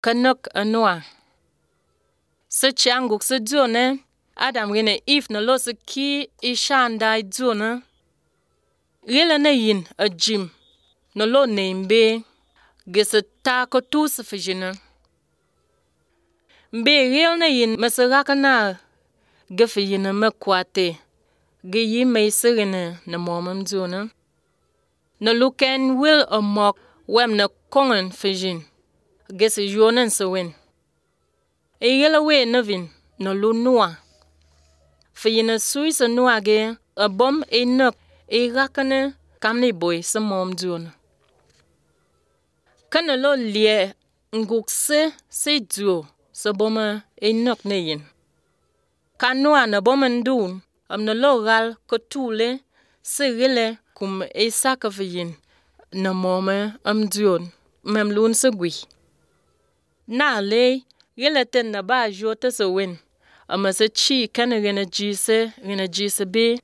kanok anua. Se changuk se dzone, Adam rene Eve na lo se ki ishanda dzone. Rila na yin a jim, na lo nembe, gese ta ko tu se fijina. Mbe ril na yin masaraka na gefe yina makwate, ge yi meise rene na momam dzone. Na luken wil a mok wem na kongen fijin, gese yonen se wen. E yela we navin na lu nua. Fijina sui se nua ge, a bom e nuk e rakane kamni boy se mom dzone. Kana lo lie nguk se dzo se boma e nuk ne yin. Kanua na boma ndun, am na lo gal kotule se rile kum e saka fiyin na moma am dzone, mem lun se gwi. Na le, rile ten na ba jote se wen, ama se chi kana rena jise be